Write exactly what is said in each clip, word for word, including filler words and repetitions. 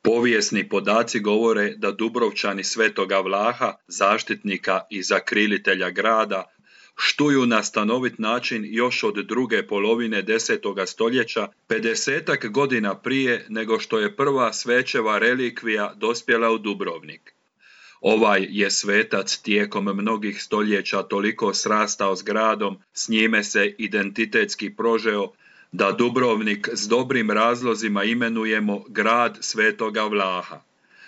Povijesni podaci govore da Dubrovčani Svetoga Vlaha, zaštitnika i zakrilitelja grada, štuju na stanovit način još od druge polovine desetoga stoljeća, pedesetak godina prije nego što je prva svećeva relikvija dospjela u Dubrovnik. Ovaj je svetac tijekom mnogih stoljeća toliko srastao s gradom, s njime se identitetski prožeo, da Dubrovnik s dobrim razlozima imenujemo grad Svetoga Vlaha.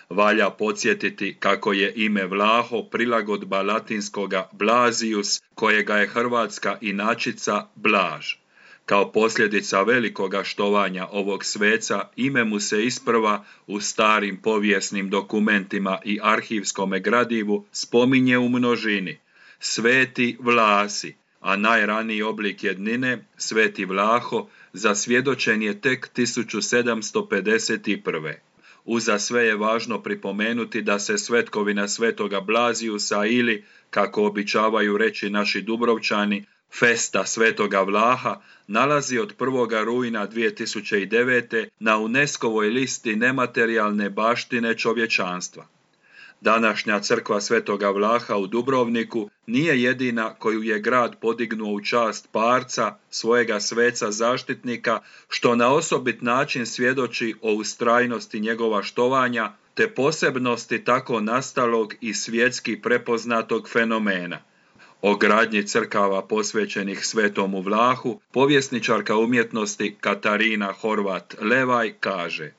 Valja podsjetiti kako je ime Vlaho prilagodba latinskoga Blasius, kojega je hrvatska inačica Blaž. Kao posljedica velikoga štovanja ovog sveca, ime mu se isprva u starim povijesnim dokumentima i arhivskome gradivu spominje u množini. Sveti Vlasi, a najraniji oblik jednine, Sveti Vlaho, zasvjedočen je tek tisuću sedamsto pedeset prve. Uza sve je važno pripomenuti da se svetkovina Svetoga Blazijusa ili, kako običavaju reći naši Dubrovčani, Festa Svetoga Vlaha nalazi od prvog rujna dvije tisuće devete. na UNESCO-voj listi nematerijalne baštine čovječanstva. Današnja crkva Svetoga Vlaha u Dubrovniku nije jedina koju je grad podignuo u čast parca, svojega sveca zaštitnika, što na osobit način svjedoči o ustrajnosti njegova štovanja, te posebnosti tako nastalog i svjetski prepoznatog fenomena. O gradnji crkava posvećenih Svetomu Vlahu, povjesničarka umjetnosti Katarina Horvat-Levaj kaže: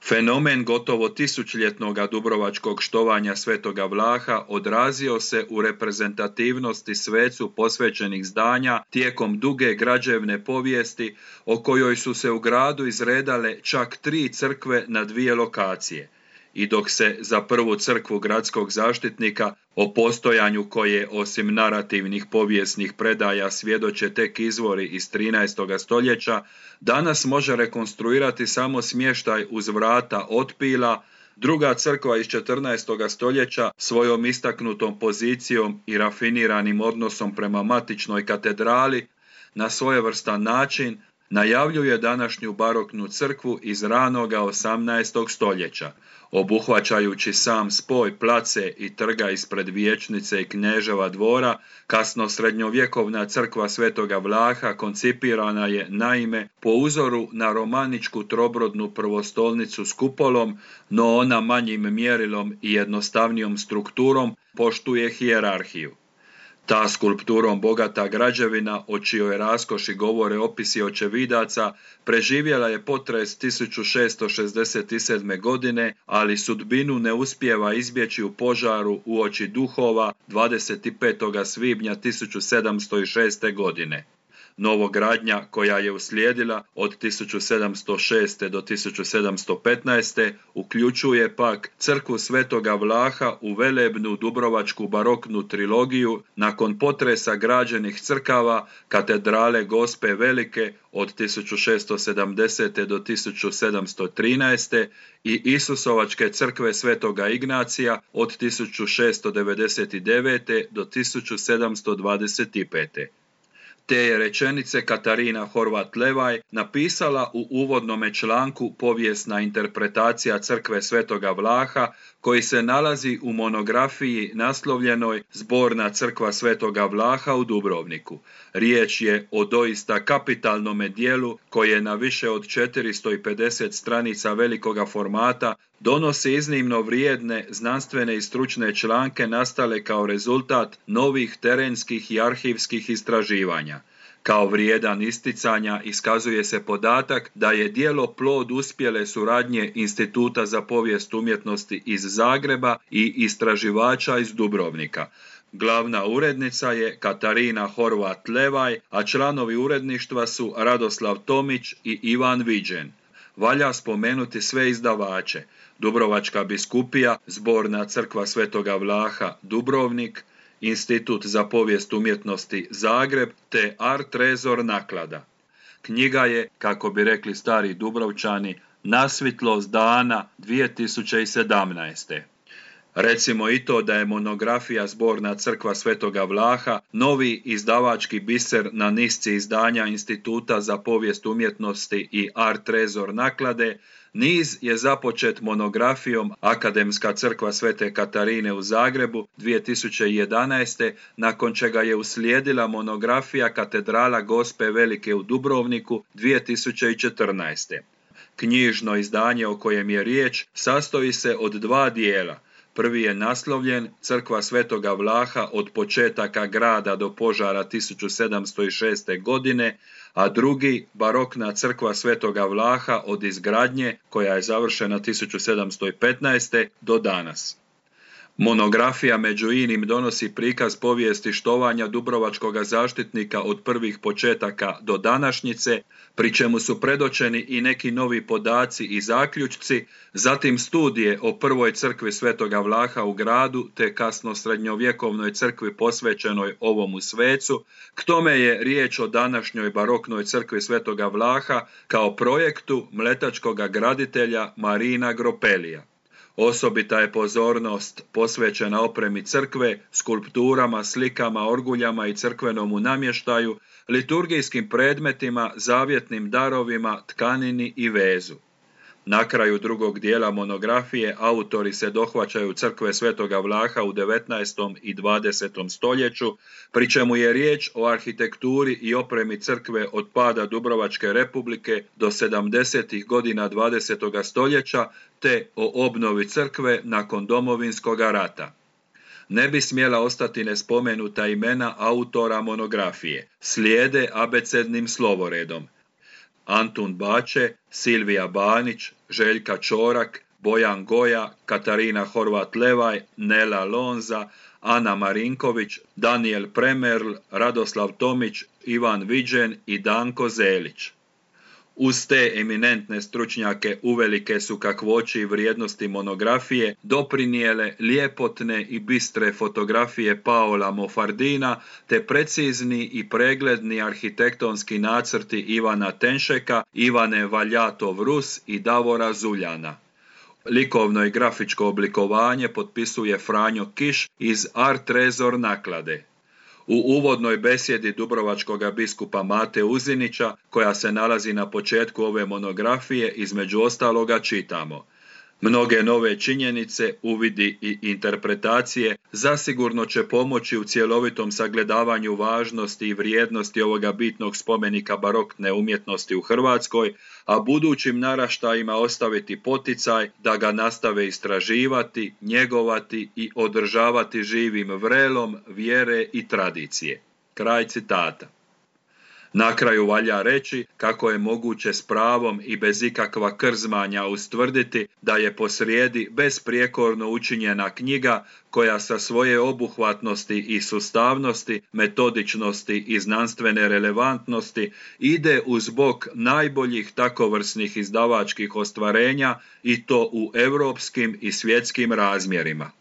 Fenomen gotovo tisućljetnoga dubrovačkog štovanja Svetoga Vlaha odrazio se u reprezentativnosti svecu posvećenih zdanja tijekom duge građevne povijesti, o kojoj su se u gradu izredale čak tri crkve na dvije lokacije. I dok se za prvu crkvu gradskog zaštitnika, o postojanju koje osim narativnih povijesnih predaja svjedoče tek izvori iz trinaestog stoljeća, danas može rekonstruirati samo smještaj uz vrata otpila, druga crkva iz četrnaestog stoljeća svojom istaknutom pozicijom i rafiniranim odnosom prema matičnoj katedrali na svojevrstan način najavljuje današnju baroknu crkvu iz ranoga osamnaestog stoljeća, obuhvaćajući sam spoj place i trga ispred vijećnice i knježeva dvora. Kasno srednjovjekovna crkva Svetoga Vlaha koncipirana je naime po uzoru na romaničku trobrodnu prvostolnicu s kupolom, no ona manjim mjerilom i jednostavnijom strukturom poštuje hijerarhiju. Ta skulpturom bogata građevina, o čijoj raskoši govore opisi očevidaca, preživjela je potres tisuću šesto šezdeset sedme. godine, ali sudbinu ne uspijeva izbjeći u požaru uoči duhova dvadeset petog svibnja tisuću sedamsto šeste. godine. Novogradnja koja je uslijedila od tisuću sedamsto šeste. do tisuću sedamsto petnaeste. uključuje pak crkvu Svetoga Vlaha u velebnu dubrovačku baroknu trilogiju nakon potresa građenih crkava katedrale Gospe Velike od tisuću šesto sedamdesete. do tisuću sedamsto trinaeste. i Isusovačke crkve Svetoga Ignacija od tisuću šesto devedeset devete. do tisuću sedamsto dvadeset pete. Te je rečenice Katarina Horvat-Levaj napisala u uvodnome članku Povijesna interpretacija crkve Svetoga Vlaha, koji se nalazi u monografiji naslovljenoj Zborna crkva Svetoga Vlaha u Dubrovniku. Riječ je o doista kapitalnome dijelu koje na više od četiristo pedeset stranica velikoga formata donosi iznimno vrijedne znanstvene i stručne članke nastale kao rezultat novih terenskih i arhivskih istraživanja. Kao vrijedan isticanja iskazuje se podatak da je djelo plod uspjele suradnje Instituta za povijest umjetnosti iz Zagreba i istraživača iz Dubrovnika. Glavna urednica je Katarina Horvat-Levaj, a članovi uredništva su Radoslav Tomić i Ivan Viđen. Valja spomenuti sve izdavače: Dubrovačka biskupija, Zborna crkva Svetoga Vlaha Dubrovnik, Institut za povijest umjetnosti Zagreb te Art Trezor naklada. Knjiga je, kako bi rekli stari Dubrovčani, nasvitlost dana dvije tisuće sedamnaeste. Recimo i to da je monografija Zborna crkva Svetoga Vlaha novi izdavački biser na nisci izdanja Instituta za povijest umjetnosti i Art Trezor naklade. Niz je započet monografijom Akademska crkva Svete Katarine u Zagrebu dvije tisuće jedanaeste. nakon čega je uslijedila monografija Katedrala Gospe Velike u Dubrovniku dvije tisuće četrnaeste. Knjižno izdanje o kojem je riječ sastoji se od dva dijela. Prvi je naslovljen Crkva Svetoga Vlaha od početaka grada do požara tisuću sedamsto šeste. godine, a drugi Barokna crkva Svetoga Vlaha od izgradnje, koja je završena tisuću sedamsto petnaeste. do danas. Monografija među inim donosi prikaz povijesti štovanja dubrovačkoga zaštitnika od prvih početaka do današnjice, pri čemu su predočeni i neki novi podaci i zaključci, zatim studije o prvoj crkvi Svetoga Vlaha u gradu te kasno srednjovjekovnoj crkvi posvećenoj ovomu svecu. K tome je riječ o današnjoj baroknoj crkvi Svetoga Vlaha kao projektu mletačkoga graditelja Marina Gropelija. Osobita je pozornost posvećena opremi crkve, skulpturama, slikama, orguljama i crkvenomu namještaju, liturgijskim predmetima, zavjetnim darovima, tkanini i vezu. Na kraju drugog dijela monografije autori se dohvaćaju crkve Svetoga Vlaha u devetnaestom i dvadesetom stoljeću, pri čemu je riječ o arhitekturi i opremi crkve od pada Dubrovačke Republike do sedamdesetih godina dvadesetoga stoljeća, te o obnovi crkve nakon Domovinskog rata. Ne bi smjela ostati nespomenuta imena autora monografije. Slijede abecednim slovoredom: Antun Bače, Silvija Banić, Željka Čorak, Bojan Goja, Katarina Horvat-Levaj, Nela Lonza, Ana Marinković, Daniel Premerl, Radoslav Tomić, Ivan Viđen i Danko Zelić. Uz te eminentne stručnjake uvelike su kakvoći i vrijednosti monografije doprinijele ljepotne i bistre fotografije Paola Mofardina te precizni i pregledni arhitektonski nacrti Ivana Tenšeka, Ivane Valjatov-Rus i Davora Zuljana. Likovno i grafičko oblikovanje potpisuje Franjo Kiš iz Art Trezor naklade. U uvodnoj besjedi dubrovačkoga biskupa Mate Uzinića, koja se nalazi na početku ove monografije, između ostaloga čitamo: mnoge nove činjenice, uvidi i interpretacije zasigurno će pomoći u cjelovitom sagledavanju važnosti i vrijednosti ovoga bitnog spomenika barokne umjetnosti u Hrvatskoj, a budućim naraštajima ostaviti poticaj da ga nastave istraživati, njegovati i održavati živim vrelom vjere i tradicije. Kraj citata. Na kraju valja reći kako je moguće s pravom i bez ikakva krzmanja ustvrditi da je posrijedi besprijekorno učinjena knjiga koja sa svoje obuhvatnosti i sustavnosti, metodičnosti i znanstvene relevantnosti ide uz bok najboljih takovrsnih izdavačkih ostvarenja i to u europskim i svjetskim razmjerima.